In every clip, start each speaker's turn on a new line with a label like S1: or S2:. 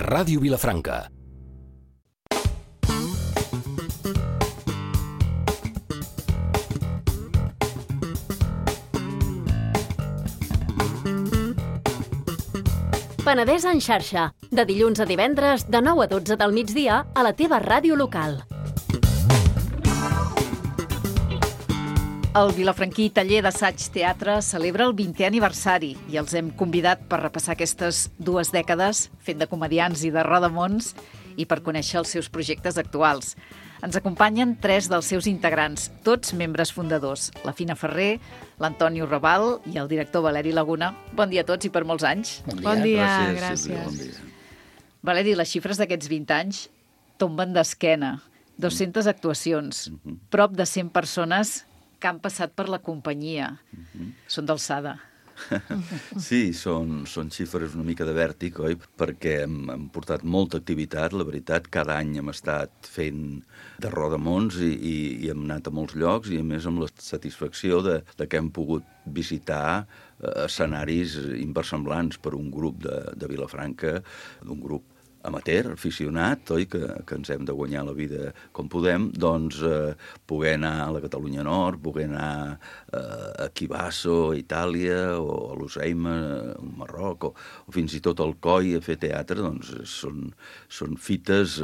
S1: Ràdio Vilafranca.
S2: Penedès en xarxa, de dilluns a divendres, de 9 a 12 del migdia, a la teva ràdio local.
S3: El vilafranquí Taller d'Assaig Teatre celebra el 20è aniversari i els hem convidat per repassar aquestes 2 dècades fent de comediants i de rodamons i per conèixer els seus projectes actuals. Ens acompanyen 3 dels seus integrants, tots membres fundadors, la Fina Ferrer, l'Antonio Raval i el director Valeri Laguna. Bon dia a tots i per molts anys.
S4: Bon dia,
S5: gràcies.
S4: Bon dia.
S3: Valeri, les xifres d'aquests 20 anys tomben d'esquena. 200 actuacions, prop de 100 persones que han passat per la companyia. Són d'alçada.
S4: Sí, són xifres una mica de vèrtic, oi? Perquè hem portat molta activitat, la veritat. Cada any hem estat fent de rodamons i hem anat a molts llocs i, a més, amb la satisfacció de que hem pogut visitar escenaris inversemblants per un grup de Vilafranca, d'un grup amateur, aficionat, oi? Que ens hem de guanyar la vida com podem, doncs poder anar a la Catalunya Nord, poder anar a Chivasso, a Itàlia, o a Lusaima, a Marroc, o fins i tot al Coi a fer teatre, doncs són fites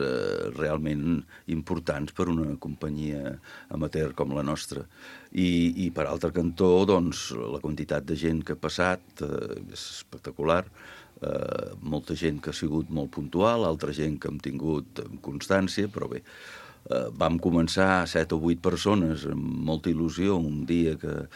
S4: realment importants per una companyia amateur com la nostra. I per altre cantó, doncs, la quantitat de gent que ha passat és espectacular. Molta gent que ha sigut molt puntual, altra gent que hem tingut constància, però bé, vam començar 7 o 8 persones amb molta il·lusió un dia que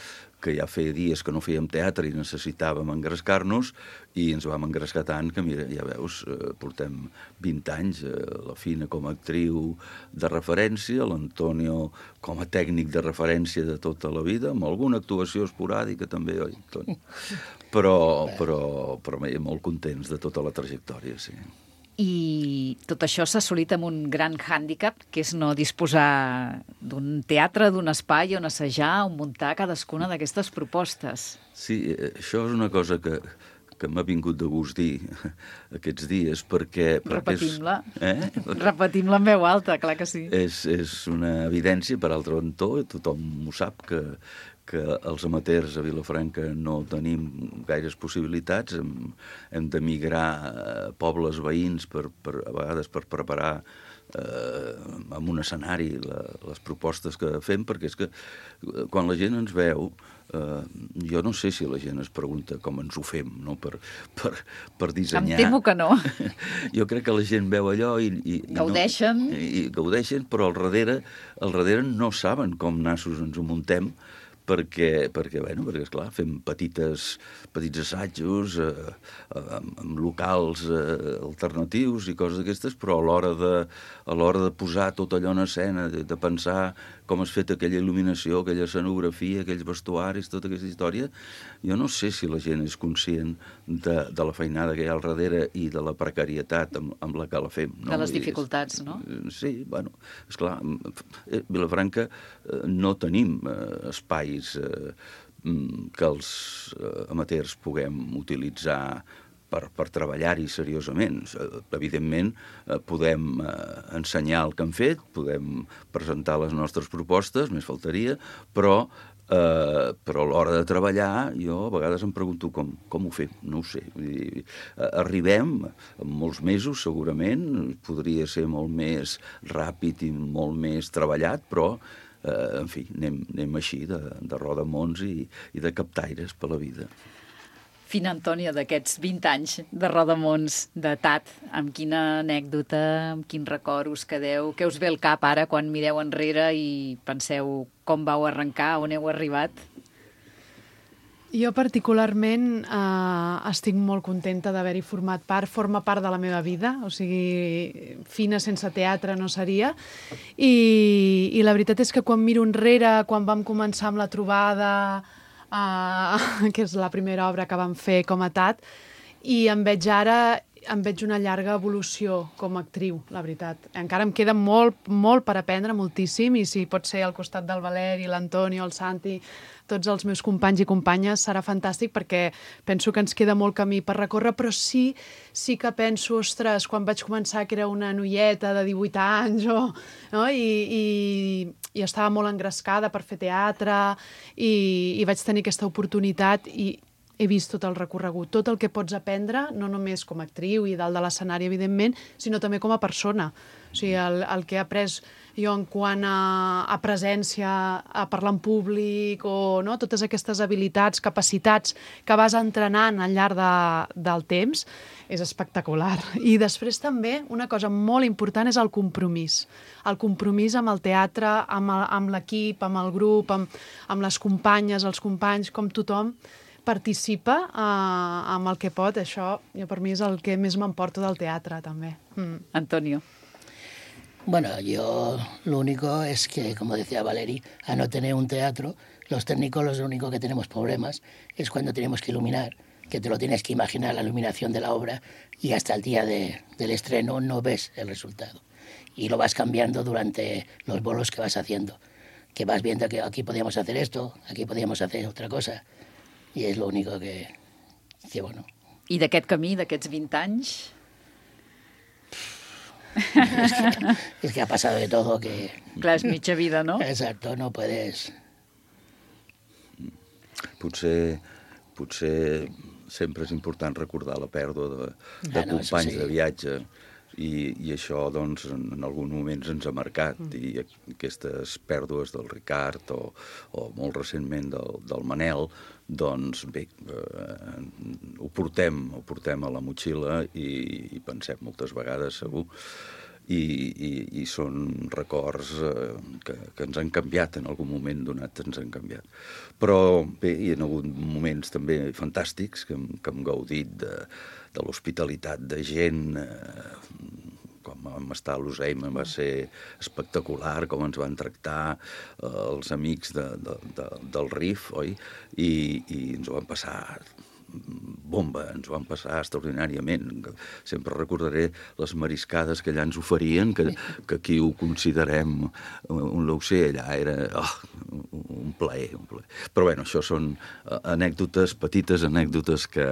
S4: ja feia dies que no fèiem teatre i necessitàvem engrescar-nos i ens vam engrescar tant que, mira, ja veus, portem 20 anys, la Fina com a actriu de referència, l'Antonio com a tècnic de referència de tota la vida, amb alguna actuació esporàdica també, oi, Toni? Però molt contents de tota la trajectòria, sí.
S3: I tot això s'ha assolit amb un gran hàndicap, que és no disposar d'un teatre, d'un espai on assajar, on muntar cadascuna d'aquestes propostes.
S4: Sí, això és una cosa que m'ha vingut de gust dir aquests dies, perquè
S3: repetim-la. Repetim-la en veu alta, clar que sí.
S4: És una evidència, per altre cantó, tothom ho sap, que els amateurs a Vilafranca no tenim gaires possibilitats, hem d'emigrar a pobles veïns a vegades per preparar en un escenari les propostes que fem, perquè és que quan la gent ens veu, jo no sé si la gent es pregunta com ens ho fem, no? Per dissenyar.
S3: Em temo que no.
S4: Jo crec que la gent veu allò i
S3: gaudeixen.
S4: I gaudeixen, però al darrere no saben com nassos ens ho muntem, perquè esclar, fem petits assajos amb locals alternatius i coses d'aquestes, però a l'hora de posar tot allò en escena, de pensar com has fet aquella il·luminació, aquella escenografia, aquells vestuaris, tota aquesta història, jo no sé si la gent és conscient de la feinada que hi ha al darrere i de la precarietat amb la que la fem.
S3: De les dificultats, no?
S4: Sí, bueno, esclar, Vilafranca no tenim espais que els amateurs puguem utilitzar per treballar-hi seriosament. Evidentment, podem ensenyar el que hem fet, podem presentar les nostres propostes, més faltaria, però a l'hora de treballar jo a vegades em pregunto com ho fem, no ho sé. Arribem en molts mesos, segurament, podria ser molt més ràpid i molt més treballat, però en fi, anem així de rodamons i de captaires per la vida.
S3: Fina, Antònia, d'aquests 20 anys de rodamons, d'edat, amb quina anècdota, amb quin record us quedeu? Què us ve al cap ara quan mireu enrere i penseu com vau arrencar, on heu arribat?
S5: Jo particularment estic molt contenta d'haver-hi format part, forma part de la meva vida, o sigui, Fina sense teatre no seria, i la veritat és que quan miro enrere, quan vam començar amb la trobada, que és la primera obra que vam fer com a TAT, i em veig ara em veig una llarga evolució com a actriu, la veritat. Encara em queda molt, molt per aprendre, moltíssim, i si pot ser al costat del Valeri, l'Antonio, el Santi, tots els meus companys i companyes, serà fantàstic perquè penso que ens queda molt camí per recórrer, però sí que penso, ostres, quan vaig començar que era una noieta de 18 anys no? I estava molt engrescada per fer teatre i vaig tenir aquesta oportunitat i he vist tot el recorregut, tot el que pots aprendre, no només com a actriu i dalt de l'escenari, evidentment, sinó també com a persona. O sigui, el que he après jo en quant a presència, a parlar en públic, o no? Totes aquestes habilitats, capacitats que vas entrenant al llarg del temps, és espectacular. I després també, una cosa molt important és el compromís. El compromís amb el teatre, amb l'equip, amb el grup, amb les companyes, els companys, com tothom participa amb el que pot. Això, per mi, és el que més m'emporto del teatre, també.
S3: Antonio.
S1: Bueno, yo lo único es que, como decía Valeri, a no tener un teatro, los técnicos lo único que tenemos problemas es cuando tenemos que iluminar, que te lo tienes que imaginar la iluminación de la obra y hasta el día del estreno no ves el resultado. Y lo vas cambiando durante los bolos que vas haciendo, que vas viendo que aquí podíamos hacer esto, aquí podíamos hacer otra cosa. I és l'únic que bueno.
S3: I d'aquest camí, d'aquests 20 anys?
S1: Es que ha pasado de todo que...
S3: Clar, és mitja vida, no?
S1: Exacto, no puedes...
S4: Potser sempre és important recordar la pèrdua de companys de viatge i això, doncs, en alguns moments ens ha marcat i aquestes pèrdues del Ricard o molt recentment del Manel, doncs bé, ho portem a la motxilla i pensem moltes vegades, segur, i són records que ens han canviat, en algun moment donat ens han canviat. Però bé, hi ha hagut moments també fantàstics que hem gaudit de l'hospitalitat de gent, com vam estar a l'Useim, va ser espectacular com ens van tractar els amics del RIF, oi? I ens ho van passar bomba, ens ho van passar extraordinàriament. Sempre recordaré les mariscades que allà ens oferien, que aquí ho considerem un laucer, allà era un plaer. Però bé, això són anècdotes, petites anècdotes que...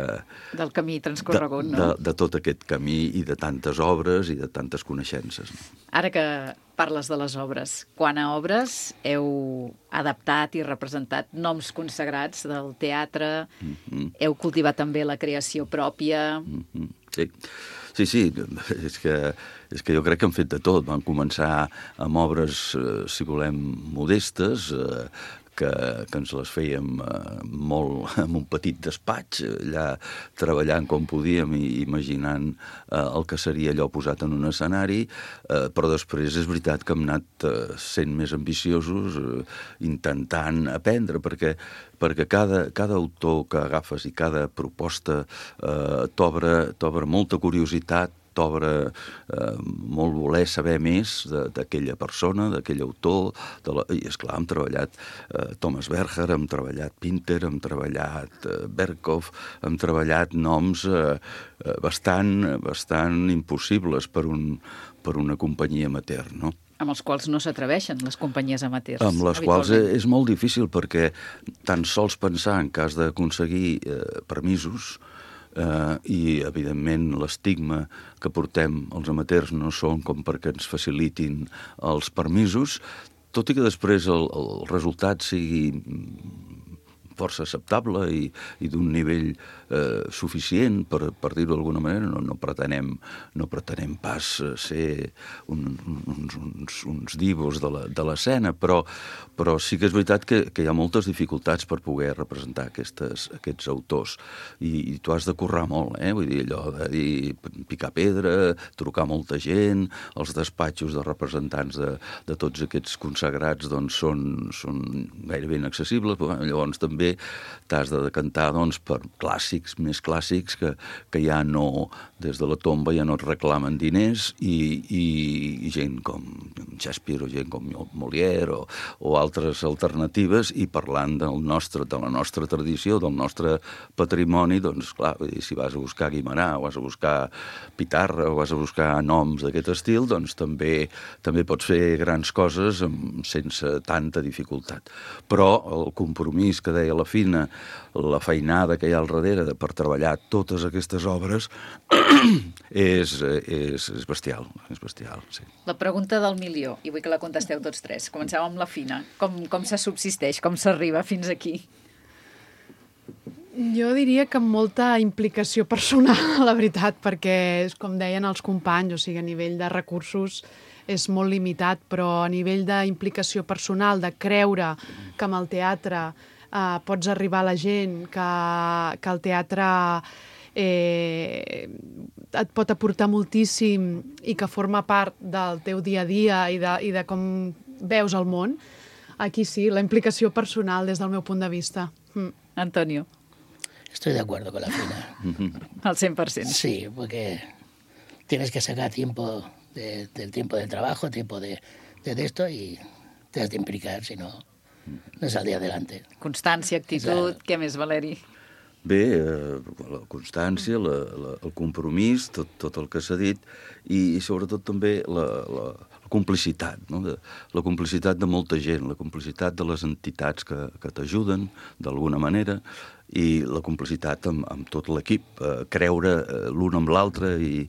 S3: Del camí transcorregut, no?
S4: De tot aquest camí i de tantes obres i de tantes coneixences.
S3: Ara que parles de les obres, quant a obres heu adaptat i representat noms consagrats del teatre, heu cultivat també la creació pròpia...
S4: Sí, és que jo crec que hem fet de tot. Vam començar amb obres, si volem, modestes, que ens les fèiem molt en un petit despatx, allà treballant com podíem i imaginant el que seria allò posat en un escenari, però després és veritat que hem anat sent més ambiciosos, intentant aprendre, perquè cada autor que agafes i cada proposta t'obre molta curiositat, t'obre molt voler saber més d'aquella persona, d'aquell autor, i esclar, hem treballat Thomas Berger, hem treballat Pinter, hem treballat Berkhoff, hem treballat noms bastant impossibles per una companyia amateur, no?
S3: Amb els quals no s'atreveixen les companyies amateurs.
S4: Amb les quals és molt difícil, perquè tan sols pensar en cas d'aconseguir permisos i, evidentment, l'estigma que portem els amateurs no són com perquè ens facilitin els permisos, tot i que després el resultat sigui força acceptable i d'un nivell suficient, per dir-ho d'alguna manera. No pretenem pas ser uns divos de l'escena, però sí que és veritat que hi ha moltes dificultats per poder representar aquests autors, i tu has de currar molt, vull dir, allò de picar pedra, trucar molta gent, els despatxos de representants de tots aquests consagrats doncs són gairebé inaccessibles, però llavors també també t'has de decantar doncs, per clàssics, més clàssics, que ja no, des de la tomba ja no et reclamen diners, i gent com Shakespeare o gent com Molière o altres alternatives, i parlant de la nostra tradició, del nostre patrimoni, doncs clar, si vas a buscar Guimerà, o vas a buscar Pitarra, o vas a buscar noms d'aquest estil, doncs també pots fer grans coses sense tanta dificultat. Però el compromís que deia la Fina, la feinada que hi ha al darrere per treballar totes aquestes obres és bestial, sí.
S3: La pregunta del milió, i vull que la contesteu tots tres. Comencem amb la Fina. Com se subsisteix, com s'arriba fins aquí?
S5: Jo diria que amb molta implicació personal, la veritat, perquè, com deien els companys, o sigui, a nivell de recursos és molt limitat, però a nivell d'implicació personal, de creure que amb el teatre pots arribar a la gent, que el teatre et pot aportar moltíssim i que forma part del teu dia a dia i de com veus el món, aquí sí, la implicació personal des del meu punt de vista.
S3: Antonio.
S1: Estoy de acuerdo con la Fina.
S3: Al 100%.
S1: Sí, porque tienes que sacar tiempo del tiempo del trabajo, tiempo de esto, y te has de implicar, si no, no saldrà adelante.
S3: Constància, actitud, què més, Valeri?
S4: Bé, la constància, el compromís, tot el que s'ha dit, i sobretot també la complicitat, no? La complicitat de molta gent, la complicitat de les entitats que t'ajuden d'alguna manera, i la complicitat amb tot l'equip, creure l'un amb l'altre, i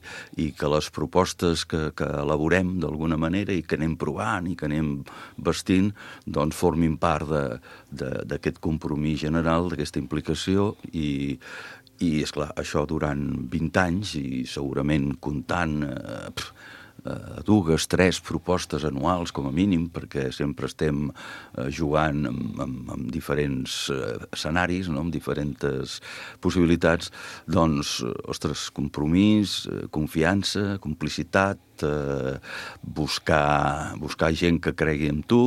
S4: que les propostes que elaborem d'alguna manera i que anem provant i que anem vestint, doncs formin part d'aquest compromís general, d'aquesta implicació, i esclar, això durant 20 anys, i segurament comptant 2, 3 propostes anuals, com a mínim, perquè sempre estem jugant amb diferents escenaris, no? Amb diferents possibilitats, doncs, ostres, compromís, confiança, complicitat, buscar gent que cregui en tu,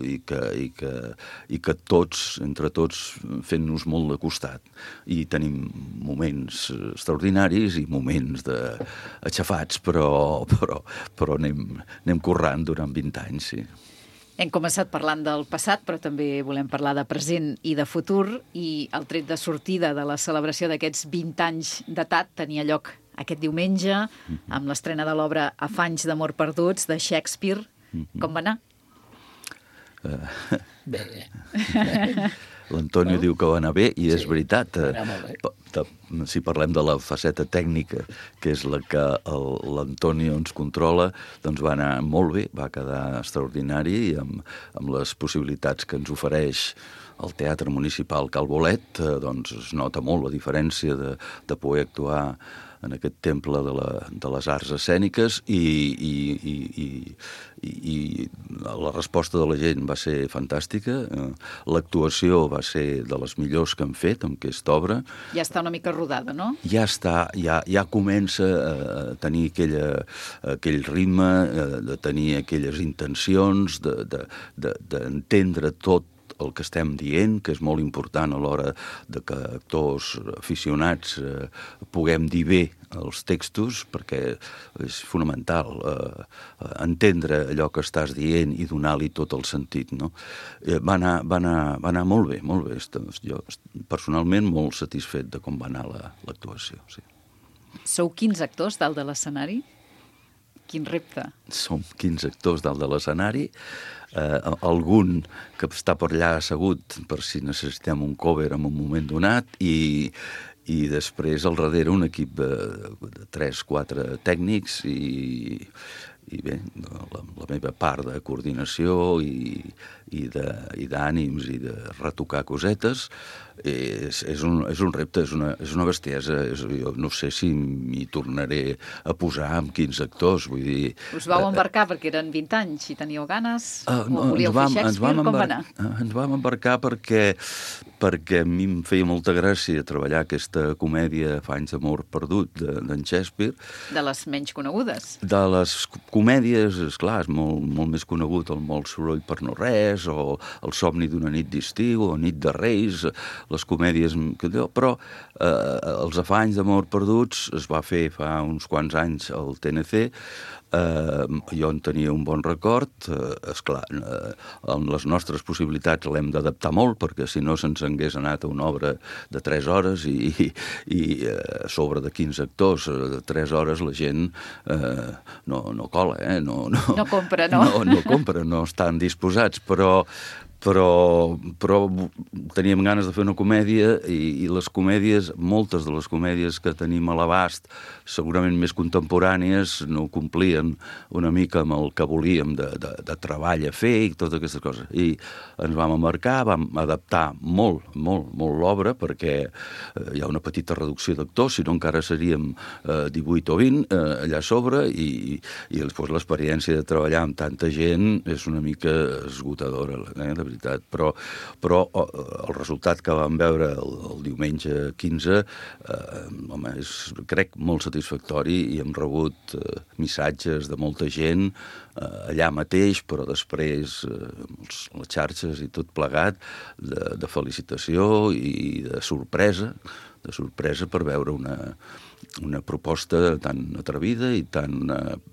S4: i que tots, entre tots, fent-nos molt de costat. I tenim moments extraordinaris i moments aixafats, però anem currant durant 20 anys, sí.
S3: Hem començat parlant del passat, però també volem parlar de present i de futur, i el tret de sortida de la celebració d'aquests 20 anys datat tenia lloc aquest diumenge, amb l'estrena de l'obra Afanys d'amor perduts, de Shakespeare. Com va anar?
S1: Bé.
S4: L'Antonio diu que va anar bé, i és veritat.
S1: Va anar molt bé.
S4: Si parlem de la faceta tècnica, que és la que l'Antonio ens controla, doncs va anar molt bé, va quedar extraordinari, amb les possibilitats que ens ofereix el Teatre Municipal Cal Bolet, doncs es nota molt la diferència de poder actuar en aquest temple de les arts escèniques, i la resposta de la gent va ser fantàstica. L'actuació va ser de les millors que han fet amb aquesta obra.
S3: Ja està una mica rodada, no?
S4: Ja està, ja comença a tenir aquell ritme, de tenir aquelles intencions, d'entendre tot el que estem dient, que és molt important a l'hora de que actors aficionats puguem dir bé els textos, perquè és fonamental entendre allò que estàs dient i donar-li tot el sentit, no? Va anar molt bé, molt bé. Jo personalment molt satisfet de com va anar l'actuació, sí.
S3: Sou 15 actors dalt de l'escenari? Quin repte.
S4: Som 15 actors dalt de l'escenari, algun que està per allà assegut per si necessitem un cover en un moment donat, i després al darrere un equip de 3-4 tècnics, i bé, la meva part de coordinació i d'ànims i de retocar cosetes, és un repte, és una bestiesa. Jo no sé si m'hi tornaré a posar amb 15 actors, vull dir...
S3: Us vau embarcar perquè eren 20 anys i teníeu ganes? O volíeu fer Shakespeare? Com va anar?
S4: Ens vam embarcar perquè a mi em feia molta gràcia treballar aquesta comèdia Fa anys d'amor perdut d'en Shakespeare.
S3: De les menys conegudes.
S4: De les comèdies, esclar, és molt més conegut el Molt soroll per no res, o El somni d'una nit d'estiu, o Nit de Reis, les comèdies... Però els Fa anys d'amor perduts es va fer fa uns quants anys al TNC. Jo en tenia un bon record. Esclar, les nostres possibilitats l'hem d'adaptar molt, perquè si no se'ns hagués anat a una obra de 3 hores i a sobre de 15 actors, de 3 hores la gent no cola, no
S3: compra, no?
S4: No compra, no estan disposats, però teníem ganes de fer una comèdia i les comèdies, moltes de les comèdies que tenim a l'abast, segurament més contemporànies, no complien una mica amb el que volíem de treball a fer i totes aquestes coses. I ens vam embarcar, vam adaptar molt l'obra, perquè hi ha una petita reducció d'actors, si no encara seríem 18 o 20 allà a sobre, i després l'experiència de treballar amb tanta gent és una mica esgotadora, de veritat, però el resultat que vam veure el diumenge 15 home, és, crec, molt satisfactori, i hem rebut missatges de molta gent allà mateix, però després les xarxes i tot plegat, de felicitació i de sorpresa per veure una proposta tan atrevida i tan...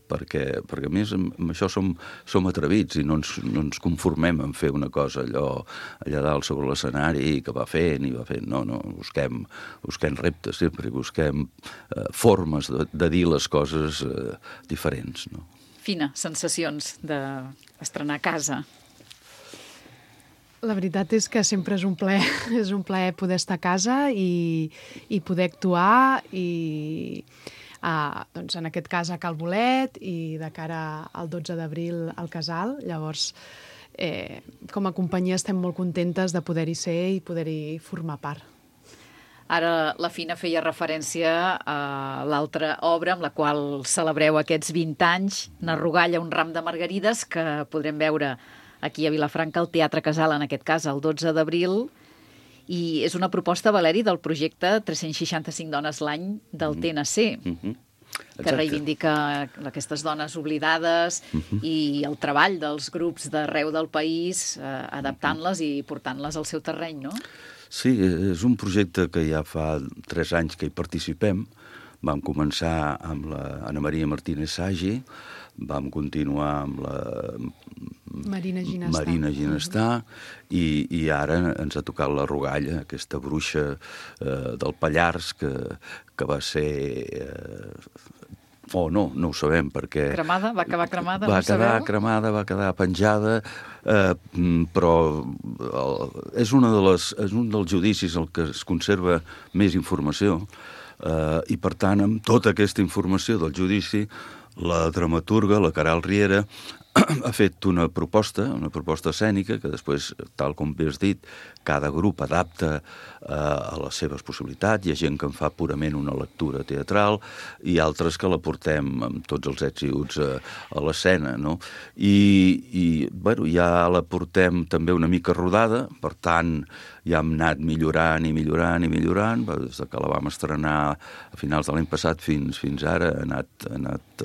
S4: perquè a més amb això som atrevits i no ens conformem en fer una cosa allà dalt sobre l'escenari que va fent, no, busquem reptes sempre, busquem formes de dir les coses diferents, no?
S3: Fina, sensacions d'estrenar a casa.
S5: La veritat és que sempre és un plaer poder estar a casa i poder actuar i doncs en aquest cas a Cal Bolet i de cara al 12 d'abril al Casal. Llavors, com a companyia estem molt contentes de poder-hi ser i poder-hi formar part.
S3: Ara la Fina feia referència a l'altra obra amb la qual celebreu aquests 20 anys, Narrogalla, un ram de margarides, que podrem veure aquí a Vilafranca, al Teatre Casal, en aquest cas, el 12 d'abril, i és una proposta, Valeri, del projecte 365 dones l'any del TNC, que reivindica aquestes dones oblidades i el treball dels grups d'arreu del país, adaptant-les i portant-les al seu terreny, no?
S4: Sí, és un projecte que ja fa 3 anys que hi participem. Vam començar amb la Ana Maria Martínez Sagi, vam continuar amb la
S5: Marina
S4: Ginestà i ara ens ha tocat la Rogalla, aquesta bruixa del Pallars que va ser... no ho sabem, perquè...
S3: Cremada? Va acabar cremada?
S4: Va quedar cremada, va quedar penjada, però és un dels judicis el que es conserva més informació, i per tant, amb tota aquesta informació del judici, la dramaturga, la Caral Riera, ha fet una proposta escènica que després, tal com bé has dit, cada grup adapta a les seves possibilitats. Hi ha gent que en fa purament una lectura teatral i altres que la portem amb tots els ets i uts a l'escena, no? I ja la portem també una mica rodada, per tant, ja hem anat millorant, des que la vam estrenar a finals de l'any passat fins ara, ha anat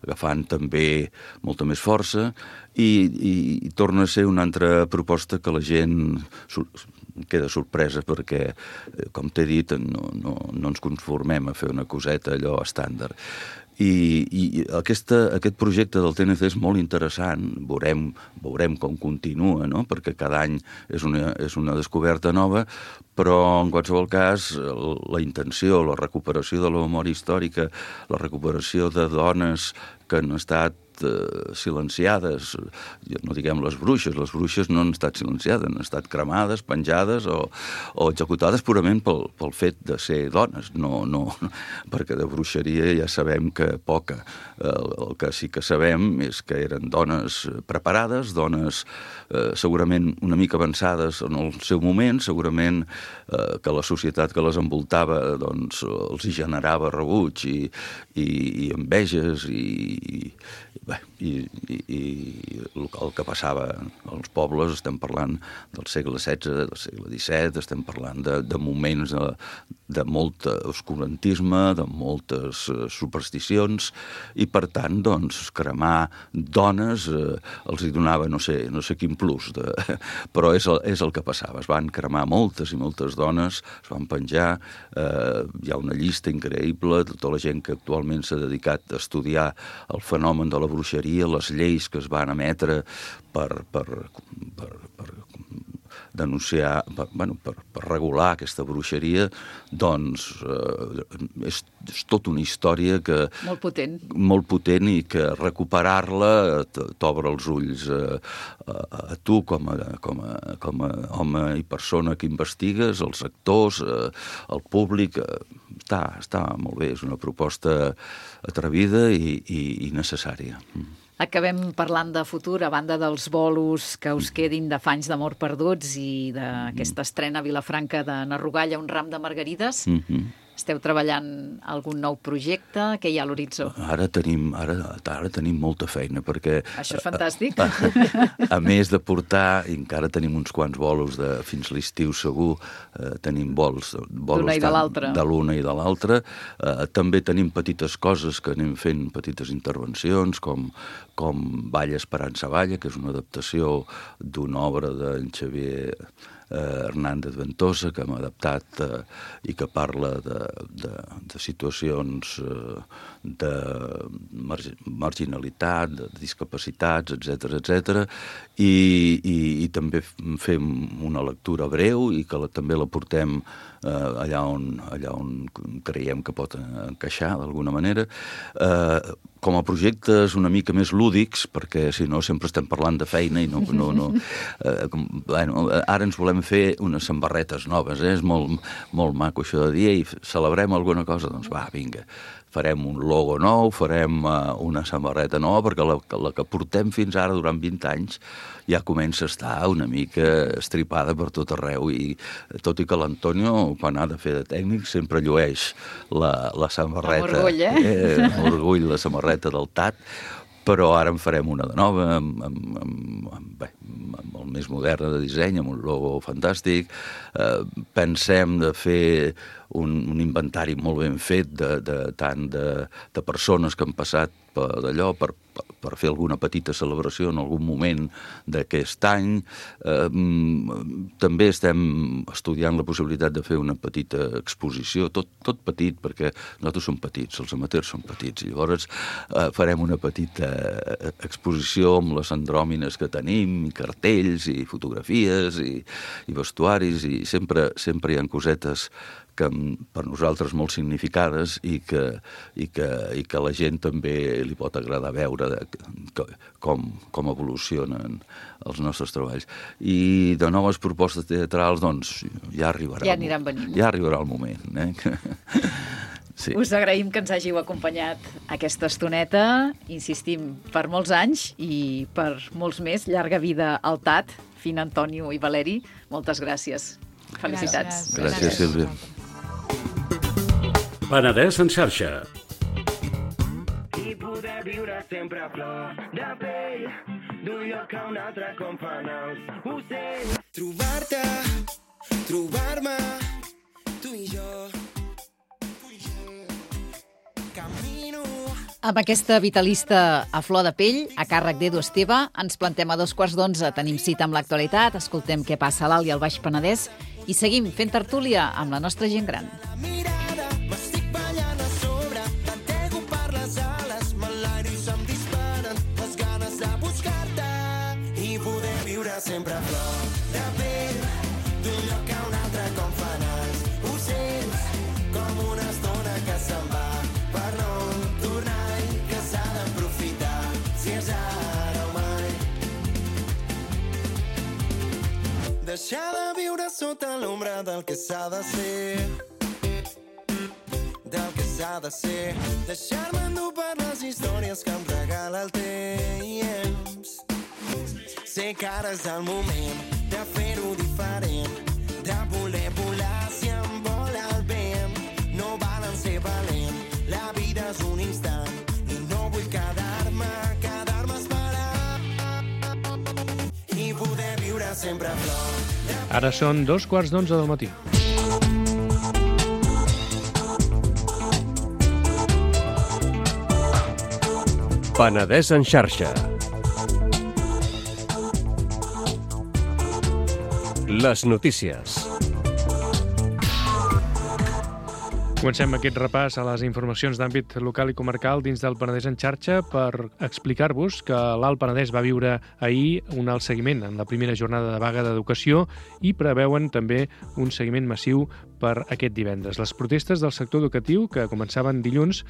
S4: agafant també molta més força i torna a ser una altra proposta que la gent queda sorpresa perquè, com t'he dit, no ens conformem a fer una coseta allò estàndard. I aquest projecte del TNC és molt interessant, veurem com continua, no? Perquè cada any és una descoberta nova, però en qualsevol cas la intenció, la recuperació de la memòria històrica, la recuperació de dones que han estat silenciades, no diguem les bruixes no han estat silenciades, han estat cremades, penjades o executades purament pel fet de ser dones, no, perquè de bruixeria ja sabem que poca. El que sí que sabem és que eren dones preparades, dones segurament una mica avançades en el seu moment, segurament que la societat que les envoltava doncs, els hi generava rebuig i enveges i el que passava als pobles, estem parlant del segle XVI, del segle XVII, estem parlant de moments de molt oscurantisme, de moltes supersticions, i per tant, doncs, cremar dones els hi donava no sé quin plus, però és el que passava. Es van cremar moltes i moltes dones, es van penjar, hi ha una llista increïble, tota la gent que actualment s'ha dedicat a estudiar el fenomen de la bruixeria, les lleis que es van emetre per denunciar, per regular aquesta bruixeria, doncs és tota una història que... Molt potent i que recuperar-la t'obre els ulls a tu com a home i persona que investigues, els actors, el públic. Està molt bé, és una proposta atrevida i necessària.
S3: Acabem parlant de futur, a banda dels bolos que us quedin d'Afanys d'amor perduts i d'aquesta estrena a Vilafranca de Narrogalla, un ram de margarides. Esteu treballant algun nou projecte? Què hi ha a l'horitzó?
S4: Ara tenim molta feina, perquè...
S3: Això és fantàstic.
S4: A més de portar, i encara tenim uns quants bolos fins l'estiu segur, tenim bolos
S3: d'una i de l'altra.
S4: De l'una i de l'altra. També tenim petites coses que anem fent, petites intervencions, com Balla Esperança Balla, que és una adaptació d'una obra d'en Xavier Hernández Ventosa, que hem adaptat i que parla de situacions de marginalitat, de discapacitats, etc. I també fem una lectura breu i que també la portem allà on creiem que pot encaixar d'alguna manera. Com a projectes una mica més lúdics, perquè si no sempre estem parlant de feina i no. Ara ens volem fer unes samarretes noves, és molt maco això de dir, i celebrem alguna cosa, doncs va, vinga, farem un logo nou, farem una samarreta nova, perquè la que portem fins ara durant 20 anys ja comença a estar una mica estripada per tot arreu, i tot i que l'Antonio, quan ha de fer de tècnic, sempre llueix la samarreta.
S3: Amb orgull,
S4: Amb orgull, la samarreta del TAT, però ara en farem una de nova, amb el més modern de disseny, amb un logo fantàstic. Pensem de fer un inventari molt ben fet tant de persones que han passat d'allò per fer alguna petita celebració en algun moment d'aquest any. També estem estudiant la possibilitat de fer una petita exposició, tot petit, perquè nosaltres som petits, els amateurs són petits, i llavors farem una petita exposició amb les andròmines que tenim, i cartells, i fotografies, i vestuaris, i sempre hi ha cosetes que per nosaltres molt significades i que la gent també li pot agradar veure com evolucionen els nostres treballs. I de noves propostes teatrals, doncs, ja arribarà.
S3: Ja aniran venint.
S4: Ja arribarà el moment. Sí.
S3: Us agraïm que ens hàgiu acompanyat aquesta estoneta, insistim, per molts anys i per molts més. Llarga vida al TAT, Fina, Antonio i Valeri. Moltes gràcies. Felicitats.
S4: Gràcies, Sílvia.
S6: Penedès en xarxa.
S7: I poder viure sempre a flor de pell, d'un lloc a un altre com fan els ocells. Trobar-te, trobar-me, tu i jo. Camino.
S3: Amb aquesta vitalista a flor de pell, a càrrec d'Edu Esteve, ens plantem a 11:15. Tenim cita amb l'actualitat, escoltem què passa a l'Alt i al Baix Penedès i seguim fent tertúlia amb la nostra gent gran.
S7: M'estic ballant a sobre, t'entego per les ales, m'enlairo i se'm disparen les ganes de buscar-te i poder viure sempre a flor de pell, d'un lloc a un altre com fan els ocells, com una estona que se'n va per no tornar i que s'ha d'aprofitar. Si deixar de viure sota l'ombra del que s'ha de ser, del que s'ha de ser, deixar-me endur per les històries que em regala el temps. Sé que ara és el moment de fer-ho diferent, de voler volar si em vola el vent. No valen ser valent, la vida és un instant i no vull quedar-me esperant i poder viure sempre a flor.
S6: Ara són 2:15 del matí.
S8: Penedès en xarxa. Les notícies.
S6: Comencem aquest repàs a les informacions d'àmbit local i comarcal dins del Penedès en xarxa per explicar-vos que l'Alt Penedès va viure ahir un alt seguiment en la primera jornada de vaga d'educació i preveuen també un seguiment massiu per aquest divendres. Les protestes del sector educatiu, que començaven dilluns,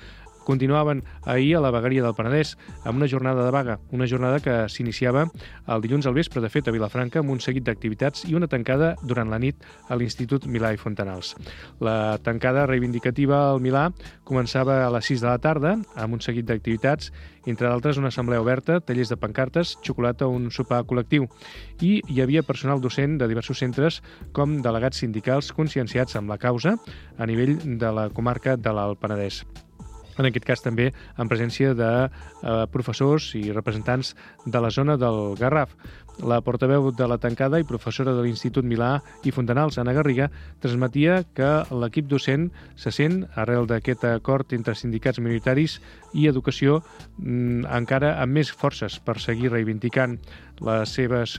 S6: continuaven ahir a la vegueria del Penedès amb una jornada de vaga, una jornada que s'iniciava el dilluns al vespre, de fet, a Vilafranca, amb un seguit d'activitats i una tancada durant la nit a l'Institut Milà i Fontanals. La tancada reivindicativa al Milà començava a les 6 de la tarda, amb un seguit d'activitats, entre d'altres una assemblea oberta, tallers de pancartes, xocolata, un sopar col·lectiu. I hi havia personal docent de diversos centres com delegats sindicals conscienciats amb la causa a nivell de la comarca de l'Alt Penedès. En aquest cas també en presència de professors i representants de la zona del Garraf. La portaveu de la tancada i professora de l'Institut Milà i Fontanals, Anna Garriga, transmetia que l'equip docent se sent, arrel d'aquest acord entre sindicats minoritaris i educació, encara amb més forces per seguir reivindicant les seves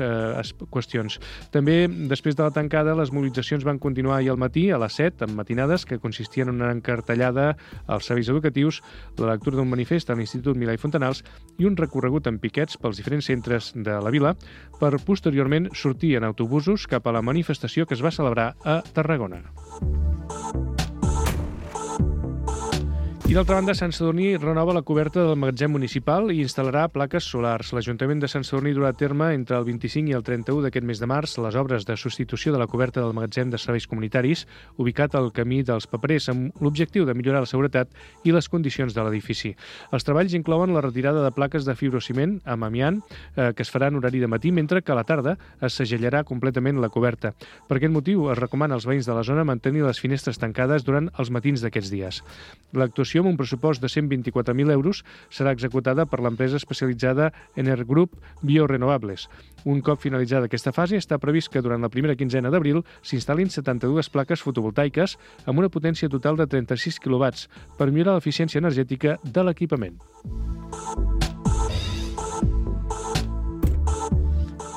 S6: qüestions. També, després de la tancada, les mobilitzacions van continuar ahir al matí, a les 7, amb matinades que consistien en una encartellada als serveis educatius, la lectura d'un manifest a l'Institut Milà i Fontanals i un recorregut en piquets pels diferents centres de la vila, per posteriorment sortir en autobusos cap a la manifestació que es va celebrar a Tarragona. I d'altra banda, Sant Sadurní renova la coberta del magatzem municipal i instal·larà plaques solars. L'Ajuntament de Sant Sadurní durà a terme entre el 25 i el 31 d'aquest mes de març les obres de substitució de la coberta del magatzem de serveis comunitaris ubicat al camí dels Paperers amb l'objectiu de millorar la seguretat i les condicions de l'edifici. Els treballs inclouen la retirada de plaques de fibrociment amb amiant que es farà en horari de matí, mentre que a la tarda es segellarà completament la coberta. Per aquest motiu, es recomana als veïns de la zona mantenir les finestres tancades durant els matins d'aquests dies. L'actuació, amb un pressupost de 124.000 euros, serà executada per l'empresa especialitzada Energroup Biorenovables. Un cop finalitzada aquesta fase, està previst que durant la primera quinzena d'abril s'instal·lin 72 plaques fotovoltaiques amb una potència total de 36 kW per millorar l'eficiència energètica de l'equipament.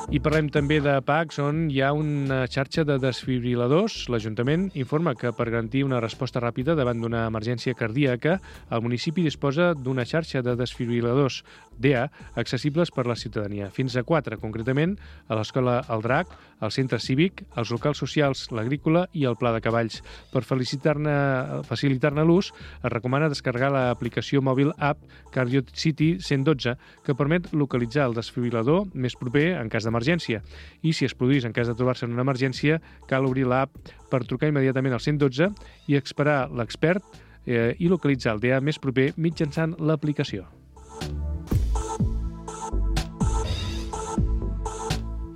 S6: I parlem també de PACs, on hi ha una xarxa de desfibriladors. L'Ajuntament informa que per garantir una resposta ràpida davant d'una emergència cardíaca, el municipi disposa d'una xarxa de desfibriladors DEA accessibles per la ciutadania. Fins a 4, concretament, a l'Escola El Drac, al Centre Cívic, als locals socials, l'Agrícola i el Pla de Cavalls. Per facilitar-ne l'ús, es recomana descarregar l'aplicació mòbil app CardioCity 112, que permet localitzar el desfibrilador més proper en cas d'emergència. I si es produís en cas de trobar-se en una emergència, cal obrir l'app per trucar immediatament al 112 i esperar l'expert i localitzar el DEA més proper mitjançant l'aplicació.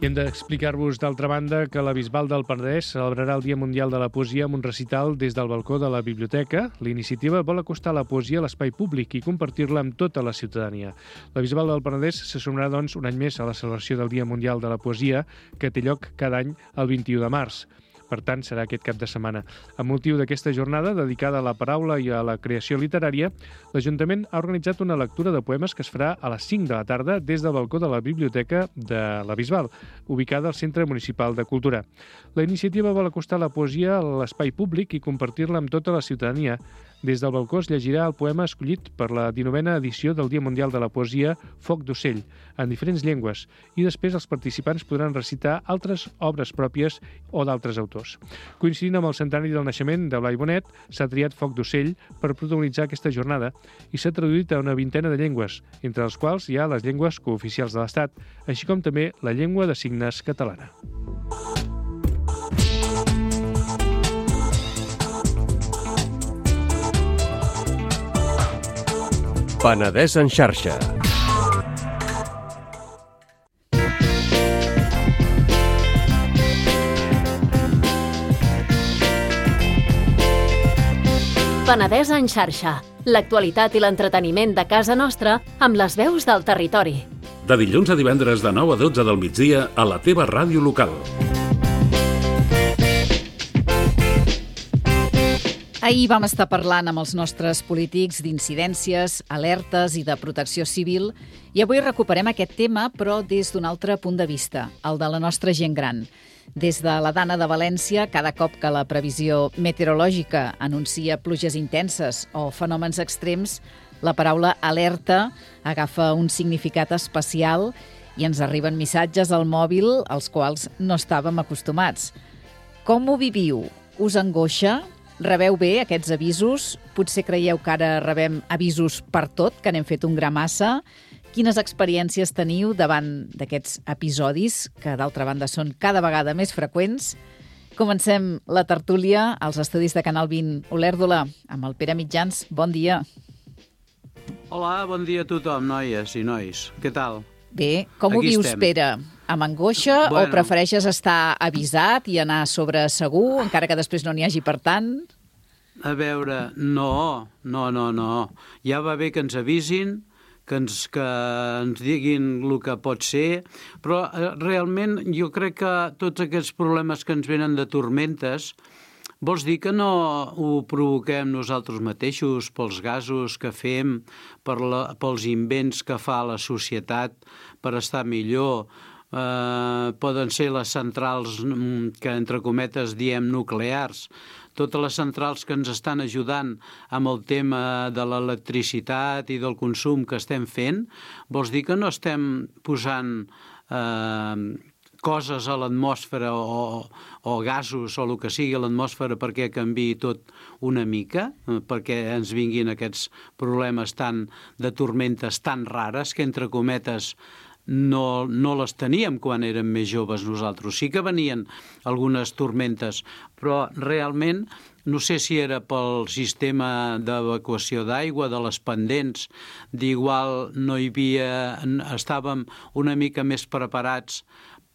S6: I hem d'explicar-vos, d'altra banda, que la Bisbal del Penedès celebrarà el Dia Mundial de la Poesia amb un recital des del balcó de la biblioteca. La iniciativa vol acostar la poesia a l'espai públic i compartir-la amb tota la ciutadania. La Bisbal del Penedès se sumarà, doncs, un any més a la celebració del Dia Mundial de la Poesia, que té lloc cada any el 21 de març. Per tant, serà aquest cap de setmana. Amb motiu d'aquesta jornada, dedicada a la paraula i a la creació literària, l'Ajuntament ha organitzat una lectura de poemes que es farà a les 5 de la tarda des del balcó de la Biblioteca de la Bisbal, ubicada al Centre Municipal de Cultura. La iniciativa vol acostar la poesia a l'espai públic i compartir-la amb tota la ciutadania. Des del balcó es llegirà el poema escollit per la 19a edició del Dia Mundial de la Poesia, Foc d'ocell, en diferents llengües, i després els participants podran recitar altres obres pròpies o d'altres autors. Coincidint amb el centenari del naixement de Blai Bonet, s'ha triat Foc d'ocell per protagonitzar aquesta jornada i s'ha traduït a una vintena de llengües, entre les quals hi ha les llengües cooficials de l'Estat, així com també la llengua de signes catalana.
S8: Penedès en xarxa.
S2: Penedès en xarxa. L'actualitat i l'entreteniment de casa nostra amb les veus del territori.
S9: De dilluns a divendres de 9 a 12 del migdia a la teva ràdio local.
S3: Ahir vam estar parlant amb els nostres polítics d'incidències, alertes i de protecció civil i avui recuperem aquest tema però des d'un altre punt de vista, el de la nostra gent gran. Des de la Dana de València, cada cop que la previsió meteorològica anuncia pluges intenses o fenòmens extrems, la paraula alerta agafa un significat especial i ens arriben missatges al mòbil als quals no estàvem acostumats. Com ho viviu? Us angoixa? Rebeu bé aquests avisos? Potser creieu que ara rebem avisos per tot, que n'hem fet un gra massa? Quines experiències teniu davant d'aquests episodis, que d'altra banda són cada vegada més freqüents? Comencem la tertúlia als estudis de Canal 20 Olèrdola amb el Pere Mitjans. Bon dia.
S10: Hola, bon dia a tothom, noies i nois. Què tal?
S3: Bé, com ho vius, Pere? Amb angoixa o prefereixes estar avisat i anar sobre segur, encara que després no n'hi hagi per tant?
S10: A veure, no. Ja va bé que ens avisin, que ens diguin el que pot ser, però realment jo crec que tots aquests problemes que ens venen de tormentes vols dir que no ho provoquem nosaltres mateixos pels gasos que fem, pels invents que fa la societat per estar millor. Poden ser les centrals que, entre cometes, diem nuclears. Totes les centrals que ens estan ajudant amb el tema de l'electricitat i del consum que estem fent, vols dir que no estem posant coses a l'atmosfera o gasos o el que sigui a l'atmosfera perquè canviï tot una mica, perquè ens vinguin aquests problemes de tormentes tan rares que, entre cometes, no les teníem quan érem més joves nosaltres. Sí que venien algunes tormentes, però realment no sé si era pel sistema d'evacuació d'aigua, de les pendents, d'igual no hi havia, estàvem una mica més preparats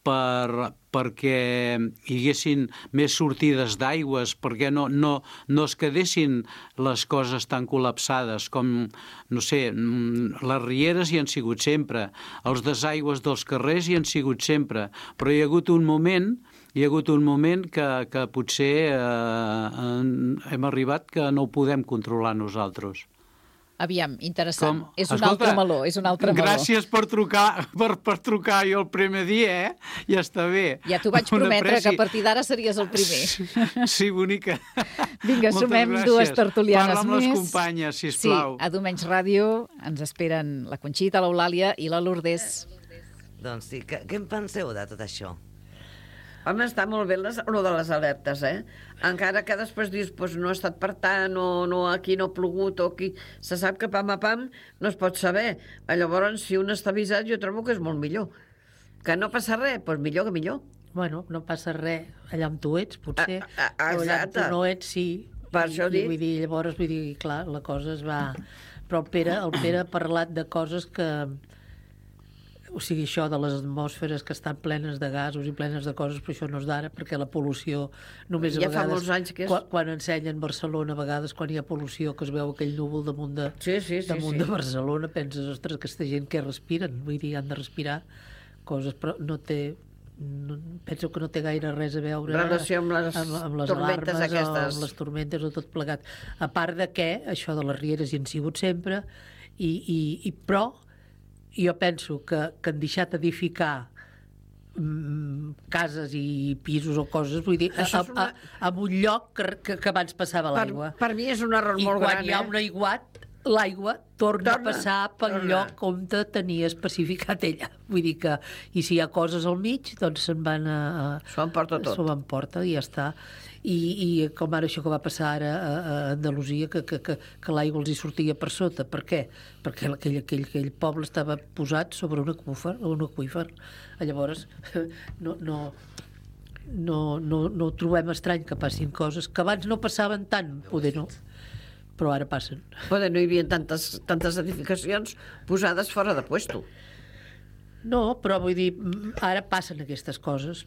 S10: perquè hi haguessin més sortides d'aigües, perquè no es quedessin les coses tan col·lapsades com, no sé, les rieres hi han sigut sempre, els desaigües dels carrers hi han sigut sempre, però hi ha hagut un moment que potser hem arribat que no ho podem controlar nosaltres.
S3: Aviam, interessant. És un altre meló.
S10: Gràcies per trucar jo el primer dia, Ja està bé.
S3: Ja t'ho vaig prometre, que a partir d'ara series el primer.
S10: Sí, bonica.
S3: Vinga, sumem dues tertulianes més.
S10: Parla amb les companyes, sisplau.
S3: Sí, a Domenys Ràdio ens esperen la Conxita, l'Eulàlia i la Lourdes.
S11: Doncs sí, què en penseu de tot això? Home, està molt bé lo de les alertes, Encara que després dius, no ha estat per tant, o aquí no ha plogut, o aquí... Se sap que pam a pam no es pot saber. Llavors, si un està avisat, jo trobo que és molt millor. Que no passa res, doncs millor que millor.
S1: Bueno, no passa res allà on tu ets, potser.
S11: Exacte.
S1: O allà on tu no ets, sí.
S11: Per això dic.
S1: Llavors, clar, la cosa es va... Però el Pere ha parlat de coses que... O sigui, això de les atmosferes que estan plenes de gasos i plenes de coses, però això no és d'ara, perquè la pol·lució només a vegades...
S11: Ja fa molts anys que és...
S1: Quan ensenyen Barcelona, a vegades, quan hi ha pol·lució, que es veu aquell núvol damunt de Barcelona, penses, ostres, aquesta gent que respiren, vull dir, han de respirar coses, però no té... penso que no té gaire res a veure
S11: relació amb les tormentes
S1: alarmes
S11: aquestes.
S1: o amb les tormentes o tot plegat. A part de que això de les rieres hi han sigut sempre, però jo penso que han deixat edificar cases i pisos o coses, vull dir, en un lloc que abans passava l'aigua.
S11: Per mi és un error molt gran.
S1: I quan hi ha un aiguat, l'aigua torna a passar pel lloc on tenia especificat ella. Vull dir que, i si hi ha coses al mig, doncs se'n van a...
S11: S'ho emporta tot.
S1: S'ho emporta i ja està. I com ara això que va passar ara a Andalusia, que l'aigua els hi sortia per sota. Per què? Perquè aquell poble estava posat sobre un aqüífer. Llavors, no trobem estrany que passin coses que abans no passaven tant, poder no.
S12: però ara passen.
S11: Però no hi havia tantes edificacions posades fora de puesto.
S12: No, però vull dir, ara passen aquestes coses,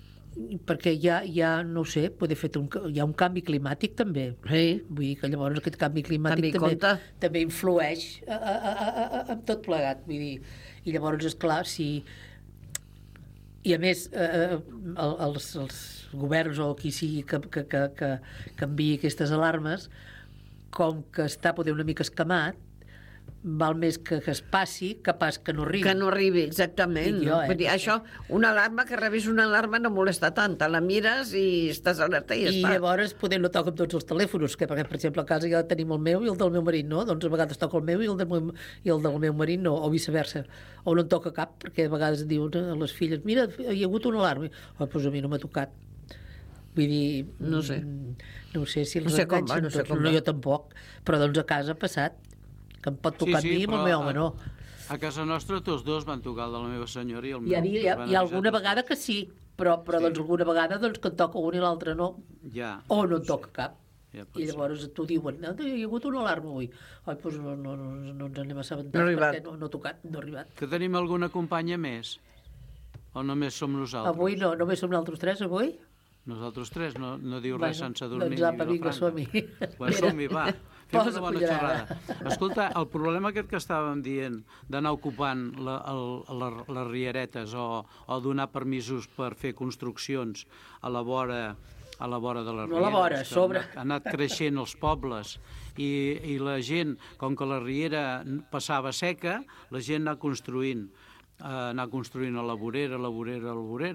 S12: perquè ja no ho sé, hi ha un canvi climàtic també.
S11: Sí.
S12: Vull dir que llavors aquest canvi climàtic també influeix en tot plegat. Vull dir, i llavors, esclar, i a més els governs o qui sigui que enviï aquestes alarmes, com que està poder una mica escamat, val més que es passi que pas que no arribi.
S11: Que no arribi, exactament. Vull dir, això, una alarma, que rebis una alarma no molesta tant, te la mires i estàs alerta i ja està.
S12: I llavors poder no toca amb tots els telèfons, perquè per exemple a casa ja tenim el meu i el del meu marit no, doncs a vegades toca el meu i el del meu marit no, o viceversa, o no en toca cap, perquè a vegades diuen a les filles, mira, hi ha hagut una alarma, doncs a mi no m'ha tocat. Vull dir, no sé si els enganxen, no jo tampoc, però doncs a casa ha passat, que em pot tocar a mi i el meu home no.
S10: A casa nostra tots dos van tocar el de la meva senyora i el meu.
S12: Hi ha alguna vegada que sí, però doncs alguna vegada doncs, que en toca un i l'altre no, o no en toca cap. I llavors t'ho diuen, hi ha hagut una alarma avui. Doncs no ens anem assabentats perquè no ha tocat, no ha arribat.
S10: Que tenim alguna companya més? O només som nosaltres?
S12: Avui no, només som nosaltres tres avui.
S10: Nosaltres tres, no diu res sense dormir
S12: ni Vilafranca. Som-hi.
S10: Som-hi, va. Fem una bona xerrada. Escolta, el problema aquest que estàvem dient d'anar ocupant les rieretes o donar permisos per fer construccions a la vora de les rieres.
S12: No a la vora, a sobre.
S10: Han anat creixent els pobles i la gent, com que la riera passava seca, la gent anar construint a la vorera.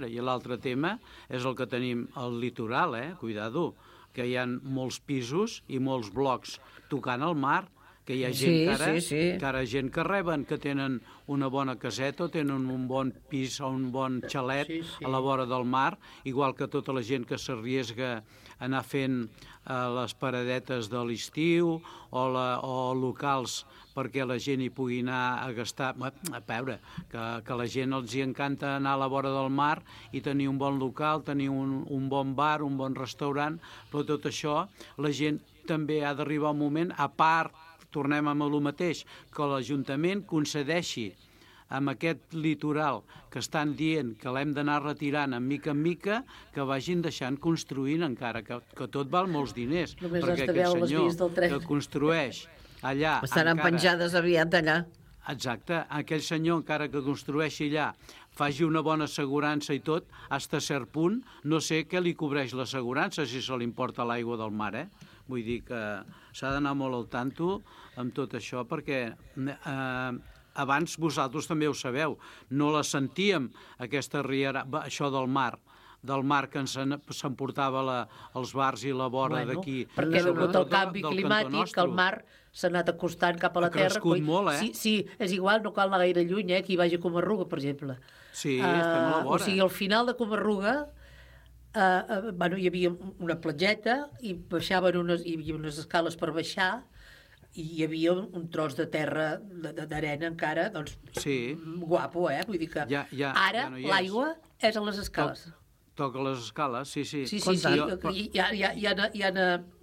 S10: I l'altre tema és el que tenim al litoral, cuidado, que hi ha molts pisos i molts blocs tocant al mar, que hi ha gent gent que reben, que tenen una bona caseta o tenen un bon pis o un bon xalet a la vora del mar, igual que tota la gent que s'arriesga a anar fent les paradetes de l'estiu o locals perquè la gent hi pugui anar a gastar. A veure, que la gent els hi encanta anar a la vora del mar i tenir un bon local, tenir un bon bar, un bon restaurant, però tot això la gent també ha d'arribar un moment, a part, tornem amb el mateix, que l'Ajuntament concedeixi amb aquest litoral que estan dient que l'hem d'anar retirant en mica, que vagin deixant construint encara, que tot val molts diners, perquè aquest senyor que construeix allà...
S11: Estaran penjades aviat allà.
S10: Exacte, aquell senyor encara que construeixi allà faci una bona assegurança i tot, fins a cert punt, no sé què li cobreix l'assegurança si se li importa l'aigua del mar, Vull dir que s'ha d'anar molt al tanto amb tot això, perquè abans vosaltres també ho sabeu, no la sentíem, aquesta riera, això del mar que ens s'emportava els bars i la vora d'aquí.
S12: Perquè degut al canvi climàtic, que el mar s'ha anat acostant cap a la terra.
S10: Ha crescut molt,
S12: Sí, és igual, no cal anar gaire lluny, qui vagi a Comarruga, per exemple.
S10: Sí, estem a la vora.
S12: O sigui, al final de Comarruga hi havia una platgeta i hi havia unes escales per baixar i hi havia un tros de terra d'arena encara, doncs guapo, vull dir que ara l'aigua és a les escales.
S10: Toca les escales, sí.
S12: Sí,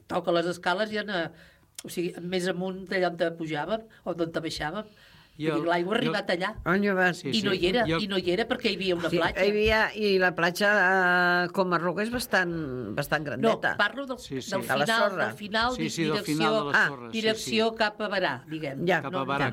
S12: toca les escales i o sigui, més amunt d'allà on pujàvem o d'on baixàvem. L'aigua ha arribat allà i no hi era perquè hi havia una platja.
S11: I la platja a Comarruga és bastant grandeta.
S12: No, parlo del final, direcció cap a Barà, diguem.
S10: Cap a Barà,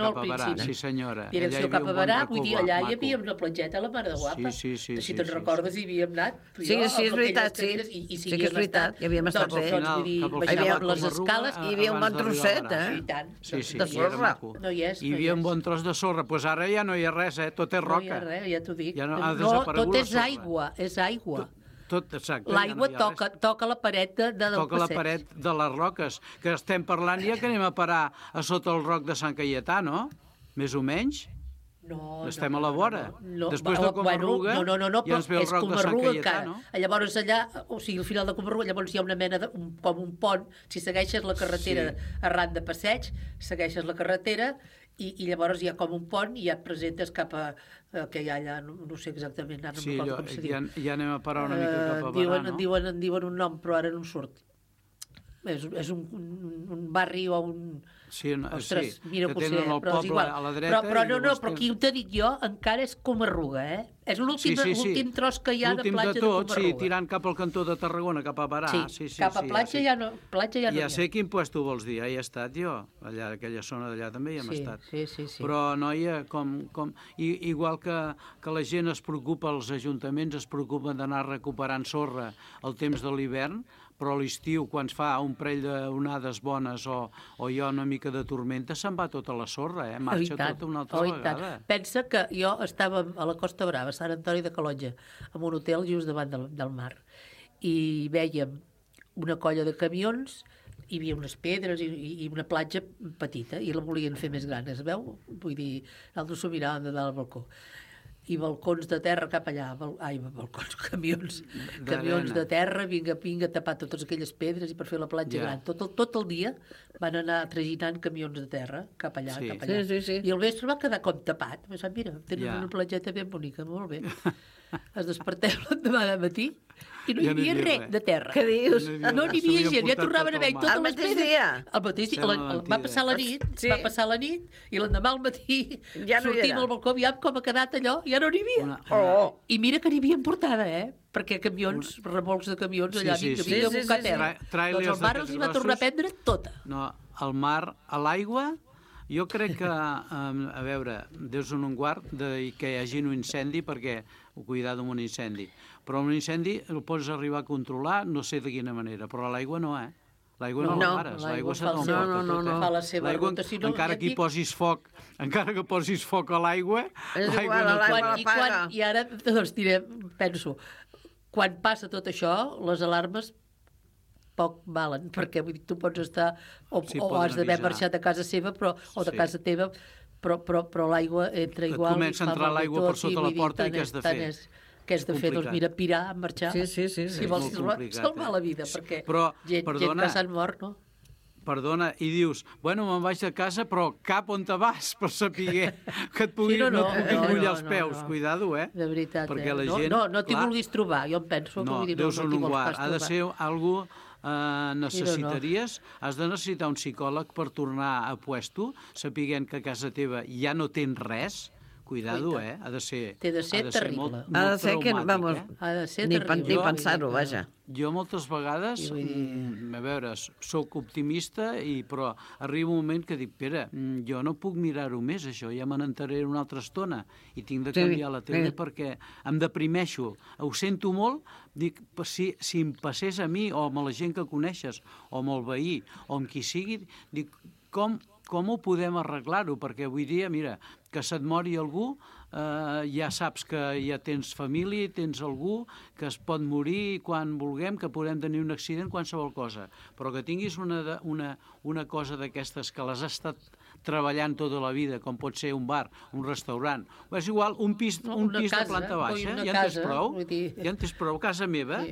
S10: sí senyora.
S12: Direcció cap a Barà, vull dir, allà hi havia una platgeta a la Mare de Guapa. Si te'n recordes hi havíem anat.
S11: Sí, és veritat, sí. Sí que és veritat, hi havíem estat bé.
S12: Baixàvem les escales.
S11: Hi havia un bon trosset,
S12: de
S11: sorra.
S12: No hi és.
S10: Hi havia un bon tros de sorra, doncs ara ja no hi ha res, tot és roca.
S12: No hi ha res, ja t'ho dic.
S10: Tot
S12: és aigua, és aigua.
S10: Exacte.
S12: L'aigua toca la paret del passeig.
S10: Toca la paret de les roques, que estem parlant ja que anem a parar a sota el roc de Sant Caietà, no? Més o menys?
S12: No,
S10: estem a la vora. Després de Comarruga ja ens ve el roc de Sant Caietà, no?
S12: Llavors allà, o sigui, al final de Comarruga, llavors hi ha una mena com un pont. Si segueixes la carretera arran de passeig, segueixes la carretera i llavors hi ha com un pont i ja et presentes cap a que hi ha allà, no sé exactament, ara no recordo com se diu.
S10: Ja anem a parar una mica cap a Barà, no?
S12: En diuen un nom, però ara no em surt. és un barri o un...
S10: Sí,
S12: ostres,
S10: sí,
S12: mira,
S10: que
S12: potser,
S10: tenen el
S12: però és
S10: poble
S12: igual.
S10: a la dreta...
S12: Però no,
S10: llavors
S12: però aquí ho t'he dit jo, encara és Comarruga, És l'últim tros que hi ha de platja de Comarruga.
S10: Sí, tirant cap al cantó de Tarragona, cap a Barà.
S12: Sí, cap a platja ja no hi ha.
S10: Ja sé quin puesto vols dir, hi he estat jo, allà, aquella zona d'allà també hi hem estat.
S12: Sí.
S10: Però, noia, igual que la gent es preocupa, els ajuntaments es preocupen d'anar recuperant sorra al temps de l'hivern, però a l'estiu, quan es fa un parell d'onades bones o hi ha una mica de tormenta, se'n va tota la sorra, marxa tota una altra vegada.
S12: Pensa que jo estava a la Costa Brava, a Sant Antoni de Calonge, en un hotel just davant del mar, i vèiem una colla de camions, hi havia unes pedres i una platja petita, i la volien fer més gran, es veu? Vull dir, nosaltres s'ho miràvem de dalt al balcó. I balcons de terra cap allà, camions de terra, vinga a tapar totes aquelles pedres i per fer la platja gran. Tot el dia van anar traginant camions de terra cap allà, cap allà.
S11: Sí.
S12: I al vespre va quedar com tapat. Mira, tenen una platgeta ben bonica, molt bé. Es desperteu l'endemà de matí i no hi havia res de terra.
S11: Què dius?
S12: No n'hi havia gent, ja tornaven a veure totes les pedres. El mateix dia? Va passar la nit, i l'endemà al matí sortim al balcó, aviam com ha quedat allò, ja no n'hi havia. I mira que n'hi havien portada, perquè camions, remolcs de camions allà, vinga, a buscar terra. Doncs el mar els hi va tornar a prendre tota.
S10: No, el mar, a l'aigua, jo crec que, a veure, Déu en un guard que hi hagi un incendi, perquè cuidar d'un incendi. Però un incendi el pots arribar a controlar, no sé de quina manera, però l'aigua no, L'aigua no la pares, l'aigua se t'emporta tota.
S12: Fa la seva ruta, si no...
S10: Encara que posis foc a l'aigua, l'aigua no
S12: l'apaga. I ara, doncs diré, penso, quan passa tot això, les alarmes poc valen, perquè vull dir, tu pots estar o has d'haver marxat de casa seva o de casa teva, però l'aigua entra igual.
S10: Comença a entrar l'aigua per sota la porta i què has de fer?
S12: Què has de fer? Doncs mira, pirar, marxar.
S11: Sí.
S12: Si vols salvar la vida, perquè gent que s'han mort, no?
S10: Perdona, i dius, bueno, me'n vaig de casa, però cap on te vas per saber que et puguin mullar els peus. Cuidado,
S12: De veritat,
S10: perquè la gent...
S12: No t'hi vulguis trobar, jo em penso.
S10: No, Déu en un guard. Ha de ser algú... necessitaries, has de necessitar un psicòleg per tornar a puesto, sapiguent que a casa teva ja no tens res. Cuidado, ha de ser...
S12: Té de ser terrible.
S11: Ha de ser que, vamos, ni pensar-ho, vaja.
S10: Jo moltes vegades, a veure, sóc optimista, però arriba un moment que dic, Pere, jo no puc mirar-ho més, això, ja me n'enteraré una altra estona i tinc de canviar la tele perquè em deprimeixo. Ho sento molt, dic, si em passés a mi o amb la gent que coneixes o amb el veí o amb qui sigui, dic, com ho podem arreglar-ho? Perquè avui dia, mira, que se't mori algú, ja saps que ja tens família, tens algú que es pot morir quan vulguem, que podem tenir un accident, qualsevol cosa. Però que tinguis una cosa d'aquestes que les has estat treballant tota la vida, com pot ser un bar, un restaurant, és igual, un pis de planta baixa, ja en tens prou, casa meva,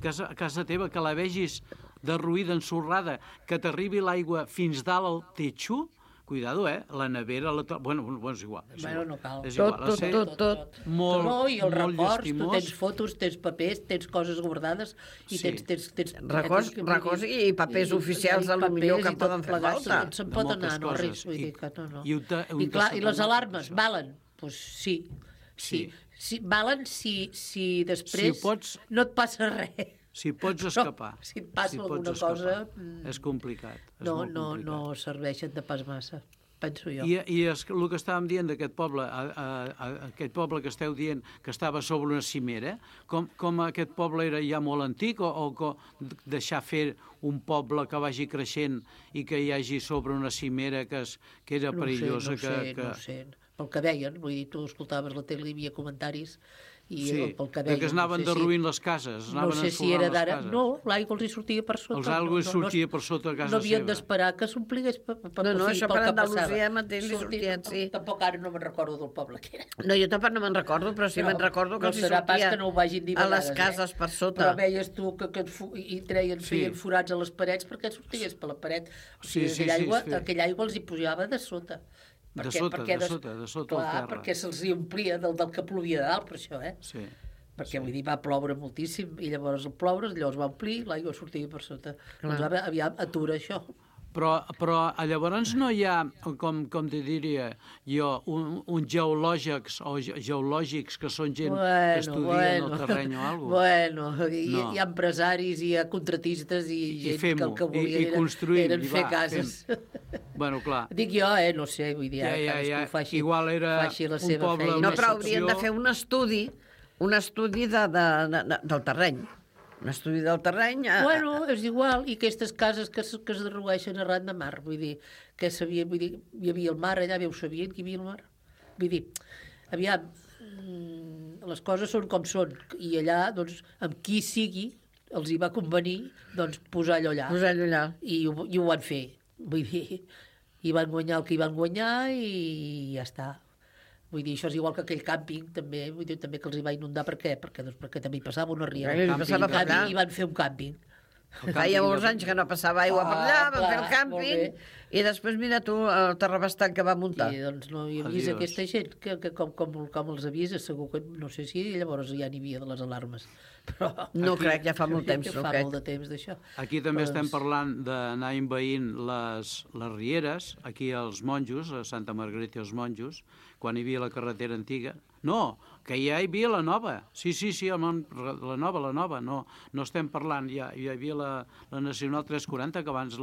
S10: casa teva, que la vegis derruïda, ensorrada, que t'arribi l'aigua fins dalt al techo, cuidado, la nevera... Bueno, és igual.
S12: No cal.
S11: Tot.
S12: I el records, tu tens fotos, tens papers, tens coses guardades i tens
S11: records i papers oficials a lo millor que poden fer falta.
S12: Se'n pot anar, no res. I clar, i les alarmes valen? Doncs sí. Valen si després no et passa res.
S10: Si pots escapar.
S12: Si et passa alguna cosa...
S10: És complicat.
S12: No serveixen de pas massa, penso jo.
S10: I el que estàvem dient d'aquest poble, aquest poble que esteu dient que estava sobre una cimera, com aquest poble era ja molt antic o deixar fer un poble que vagi creixent i que hi hagi sobre una cimera que era perillosa?
S12: No sé. Pel que deien, vull dir, tu escoltaves la tele, hi havia comentaris
S10: que es anaven derruint les cases,
S12: no sé si era d'ara, no, l'aigua els hi sortia per sota.
S10: L'aigua els sortia per sota de casa seva.
S12: No havien d'esperar que s'ompligués pel que passava.
S11: No, això per Andalusia mateix li sortien, sí.
S12: Tampoc ara no me'n recordo del poble que era.
S11: No, jo tampoc no me'n recordo, però sí me'n recordo que els hi sortia a les cases per sota.
S12: Però veies tu que feien forats a les parets perquè sortigués per la paret. O sigui, aquella aigua els hi pujava de sota.
S10: De sota el terra.
S12: Clar, perquè se'ls omplia del que plovia de dalt, per això,
S10: Sí.
S12: perquè vull dir, va ploure moltíssim, i llavors el ploure, allò es va omplir, l'aigua sortia per sota. Doncs aviam, atura això.
S10: Però llavors no hi ha, com te diria jo, uns geològics que són gent que estudien el terreny o alguna cosa.
S12: Bueno, hi ha empresaris, hi ha contratistes i gent que el que volien eren fer cases.
S10: Bueno, clar.
S12: Dic jo, no sé, vull dir, cadascú faci la seva feina.
S11: No, però haurien de fer un estudi del terreny. Un estudi del terreny...
S12: Bueno, és igual, i aquestes cases que es derrueixen arran de mar, vull dir, que sabien, vull dir, hi havia el mar allà, ho sabien que hi havia el mar? Vull dir, aviam, les coses són com són, i allà, doncs, amb qui sigui, els hi va convenir, doncs, posar allò allà. I ho van fer, vull dir, i van guanyar el que hi van guanyar i ja està. Vull dir, això és igual que aquell càmping, també, vull dir, també que els hi va inundar. Per què? Perquè també hi passava una riera. I van fer un càmping.
S11: Feia molts anys que no passava aigua per allà, van fer el càmping, i després mira tu el terrabastant que va muntar.
S12: I doncs no hi avisa aquesta gent, que com els avisa, segur que, no sé si llavors ja n'hi havia de les alarmes. Però
S11: no crec, ja fa molt temps.
S12: Fa molt de temps d'això.
S10: Aquí també estem parlant d'anar envaint les rieres, aquí als Monjos, a Santa Margarita i els Monjos, quan hi havia la carretera antiga. No, que ja hi havia la nova. Sí, la nova. No estem parlant, hi havia la Nacional 340, que abans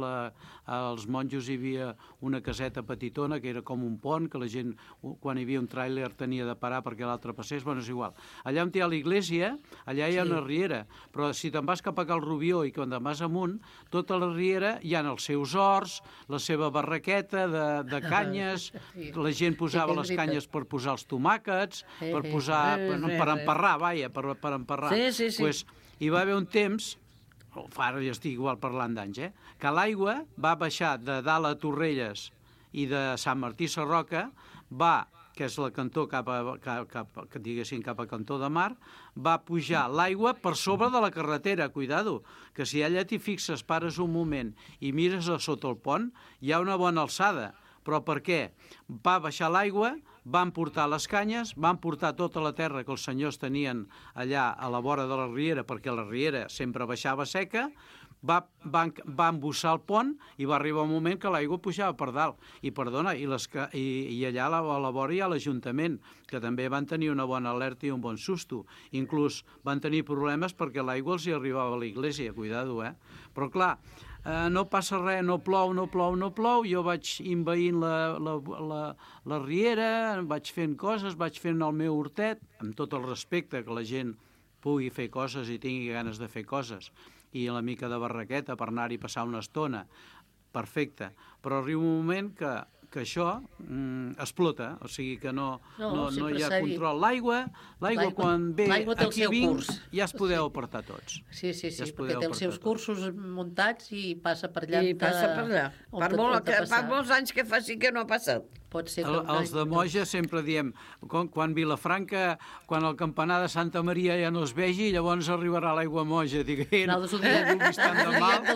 S10: als Monjos hi havia una caseta petitona, que era com un pont, que la gent, quan hi havia un tràiler, tenia de parar perquè l'altre passés. Bueno, és igual. Allà on hi ha l'església, allà hi ha una riera, però si te'n vas cap a Cal Rubió i quan te'n vas amunt, tota la riera hi ha els seus horts, la seva barraqueta de canyes, la gent posava les canyes per posar els tomàquets, per posar, per emparrar, per emparrar.
S11: Sí.
S10: Pues, hi va haver un temps, ara ja estic igual parlant d'anys, que l'aigua va baixar de dalt a Torrelles i de Sant Martí Sarroca, que és la cantó cap a Cantó de Mar, va pujar l'aigua per sobre de la carretera, cuidado, que si allà t'hi fixes, pares un moment i mires a sota el pont, hi ha una bona alçada. Però per què? Va baixar l'aigua, van portar les canyes, van portar tota la terra que els senyors tenien allà a la vora de la riera, perquè la riera sempre baixava seca, va embussar el pont i va arribar un moment que l'aigua pujava per dalt. I allà a la vora hi ha l'Ajuntament, que també van tenir una bona alerta i un bon susto. Inclús van tenir problemes perquè l'aigua els hi arribava a l'església, cuidado, Però clar, no passa res, no plou, jo vaig envaint la riera, vaig fent coses, vaig fent el meu hortet, amb tot el respecte que la gent pugui fer coses i tingui ganes de fer coses, i la mica de barraqueta per anar-hi a passar una estona, perfecte, però arriba un moment que això explota, o sigui que no hi ha control. L'aigua quan ve aquí vinc, ja es podeu apartar tots.
S12: Sí, perquè té els seus cursos muntats i passa per allà.
S11: I passa per allà. Fa molts anys que fa sí que no ha passat.
S10: Els de Moja sempre diem, quan Vilafranca, quan el campanar de Santa Maria ja no es vegi, llavors arribarà l'aigua Moja. No vulguis tant de mal.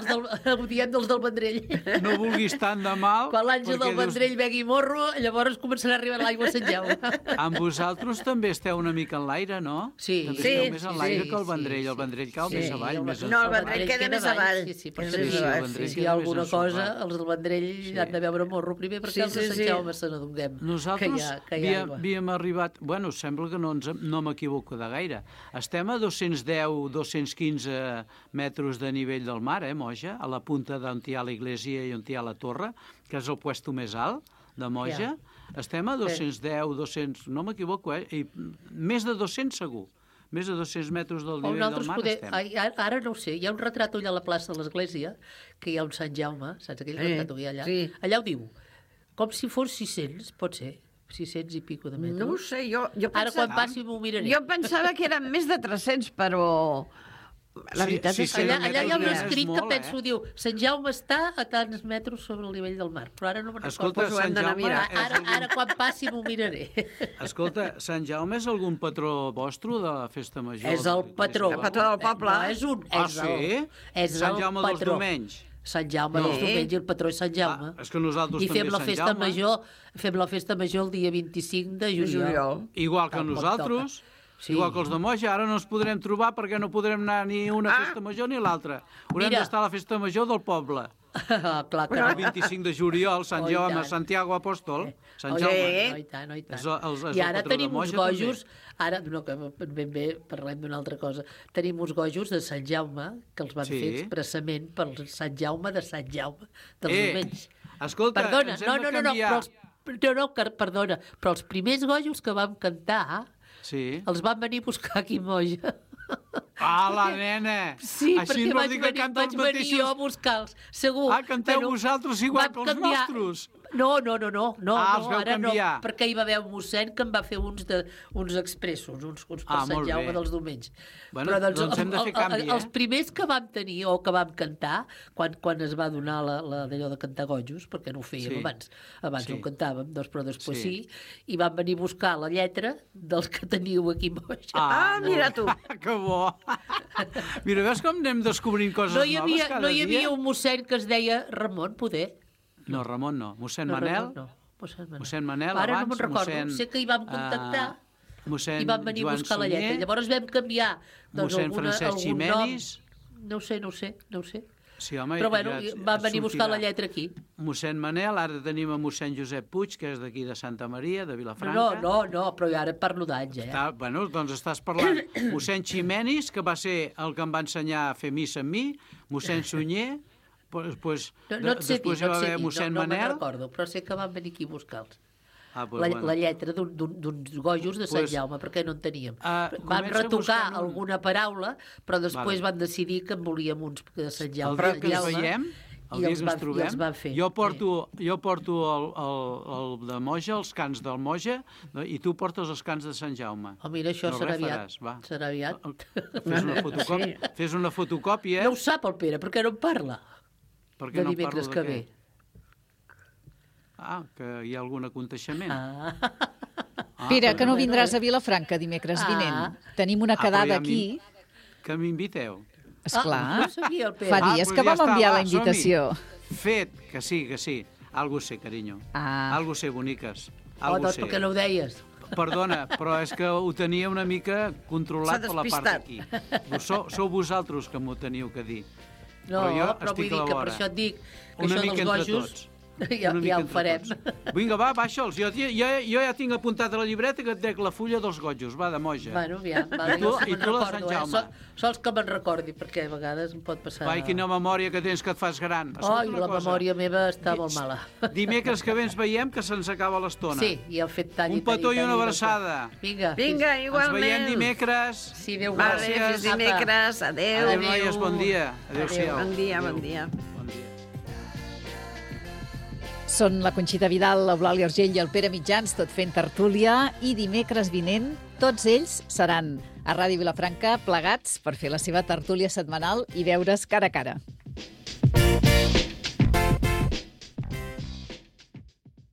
S12: Ho diem dels del Vendrell.
S10: No vulguis tant de mal.
S12: Quan l'Àngel del Vendrell begui morro, llavors començarà a arribar l'aigua a Sant Jaume.
S10: Amb vosaltres també esteu una mica en l'aire, no?
S12: Sí.
S10: També esteu més en l'aire que el Vendrell. El Vendrell cau més avall.
S11: No, el Vendrell queda més avall.
S12: Si hi ha alguna cosa, els del Vendrell han de veure morro primer perquè els de Sant Jaume se n'adonem.
S10: Nosaltres havíem arribat, sembla que no m'equivoco de gaire, estem a 210-215 metres de nivell del mar, Moja, a la punta d'on hi ha l'església i on hi ha la torre, que és el puesto més alt de Moja, estem a 210, no m'equivoco, i més de 200 segur. Més de 200 metres del nivell del mar estem.
S12: Ara no ho sé, hi ha un retrat allà a la plaça de l'església, que hi ha un Sant Jaume, saps aquell retrat que hi ha allà? Allà ho diu, com si fos 600, pot ser, 600 i pico de metres.
S11: No ho sé, jo pensava...
S12: Ara quan passi m'ho miraré.
S11: Jo pensava que eren més de 300, però... La veritat és que...
S12: Allà hi ha un escrit que penso, diu, Sant Jaume està a tants metres sobre el nivell del mar, però ara no me'n recordo.
S10: Escolta, Sant Jaume...
S12: Ara quan passi m'ho miraré.
S10: Escolta, Sant Jaume és algun patró vostre de la festa major?
S12: És el patró.
S11: El patró del poble.
S12: No, és un...
S10: sí? Sant Jaume dels Domenys.
S12: Sant Jaume dels Domenys i el patró és Sant Jaume.
S10: És que nosaltres també
S12: fem la festa major el dia 25 de juliol.
S10: Igual que nosaltres. Sí. Igual que els de Moja, ara no ens podrem trobar perquè no podrem anar ni a una festa major ni a l'altra. Haurem d'estar a la festa major del poble.
S12: Clar que
S10: el 25 de juliol, Sant Jaume, Santiago Apòstol. Sant Jaume.
S12: I tant.
S10: I
S12: ara tenim uns gojos, ara, no, que ben bé parlem d'una altra cosa, tenim uns gojos de Sant Jaume que els van fer expressament per Sant Jaume de Sant Jaume dels Domenys.
S10: Escolta,
S12: perdona,
S10: ens hem de canviar.
S12: Perdona, però els primers gojos que vam cantar els van venir a buscar aquí a Moja.
S10: Ah, la nena!
S12: Sí,
S10: així
S12: perquè vaig venir jo a buscar-los, segur.
S10: Ah, canteu vosaltres igual que els nostres?
S12: No, ara no, perquè hi va haver un mossèn que em va fer uns expressos, uns per Sant Jaume dels Domenys.
S10: Bueno, doncs hem de fer canvi,
S12: Els primers que vam tenir o que vam cantar, quan es va donar d'allò de cantar gojos, perquè no ho fèiem abans no ho cantàvem, però després sí, i van venir a buscar la lletra dels que teniu aquí a Moja.
S11: Ah, mira tu!
S10: Que bo! Mira, veus com anem descobrint coses noves cada dia?
S12: No hi havia un mossèn que es deia Ramon, poder?
S10: No, Ramon no. Mossèn Manel? Mossèn Manel,
S12: ara no me'n recordo. Sé que hi vam contactar i van venir a buscar la lletra. Llavors vam canviar
S10: mossèn Francesc Ximenis.
S12: No ho sé.
S10: Sí, home,
S12: però bueno, van venir a buscar la lletra aquí.
S10: Mossèn Manel, ara tenim a mossèn Josep Puig, que és d'aquí de Santa Maria, de Vilafranca.
S12: No, però ara parlo d'anys,
S10: Bueno, doncs estàs parlant. Mossèn Ximenis, que va ser el que em va ensenyar a fer missa amb mi, mossèn Sunyer, després hi va haver mossèn Manel.
S12: No me'n recordo, però sé que van venir aquí a buscar-los. La lletra d'uns gojos de Sant Jaume, perquè no en teníem. Van retocar alguna paraula, però després van decidir que en volíem uns de Sant Jaume.
S10: El dia que ens veiem, el dia que ens trobem, jo porto el de Moja, els cants del Moja, i tu portes els cants de Sant Jaume.
S12: Oh, mira, això serà aviat.
S10: Fes una fotocòpia.
S12: No ho sap el Pere, perquè no en parla.
S10: De dimecres que ve. Que hi ha algun aconteixement.
S3: Pere, que no vindràs a Vilafranca dimecres vinent. Tenim una quedada aquí.
S10: Que m'inviteu.
S3: Esclar,
S12: no sabia el Pere.
S3: Fa dies que vam enviar la invitació.
S10: Fet, que sí. Algo sé, carinyo. Algo sé, boniques.
S12: Doncs per què no ho deies?
S10: Perdona, però és que ho tenia una mica controlat per la part d'aquí. Sou vosaltres que m'ho teniu que dir.
S12: No, però vull dir que per això et dic que això dels gojos ja ho farem.
S10: Vinga, va, baixa'ls. Jo ja tinc apuntat a la llibreta que et dec la fulla dels gojos, va, de Moja.
S12: Bueno, aviam,
S10: i tu la Sant Jaume.
S12: Sols que me'n recordi, perquè a vegades em pot passar...
S10: Vai, quina memòria que tens, que et fas gran.
S12: La memòria meva està molt mala.
S10: Dimecres que ve ens veiem, que se'ns acaba l'estona.
S12: Sí, i el fet tall.
S10: Un petó i una abraçada.
S12: Vinga,
S11: igualment.
S10: Ens veiem dimecres.
S12: Sí, Déu
S11: gràcies. Fins dimecres. Adéu.
S10: Adéu, noies, bon dia. Adéu-siau.
S11: Bon dia.
S3: Són la Conxita Vidal, l'Eulàlia Urgell i el Pere Mitjans, tot fent tertúlia, i dimecres vinent tots ells seran a Ràdio Vilafranca plegats per fer la seva tertúlia setmanal i veure's cara a cara.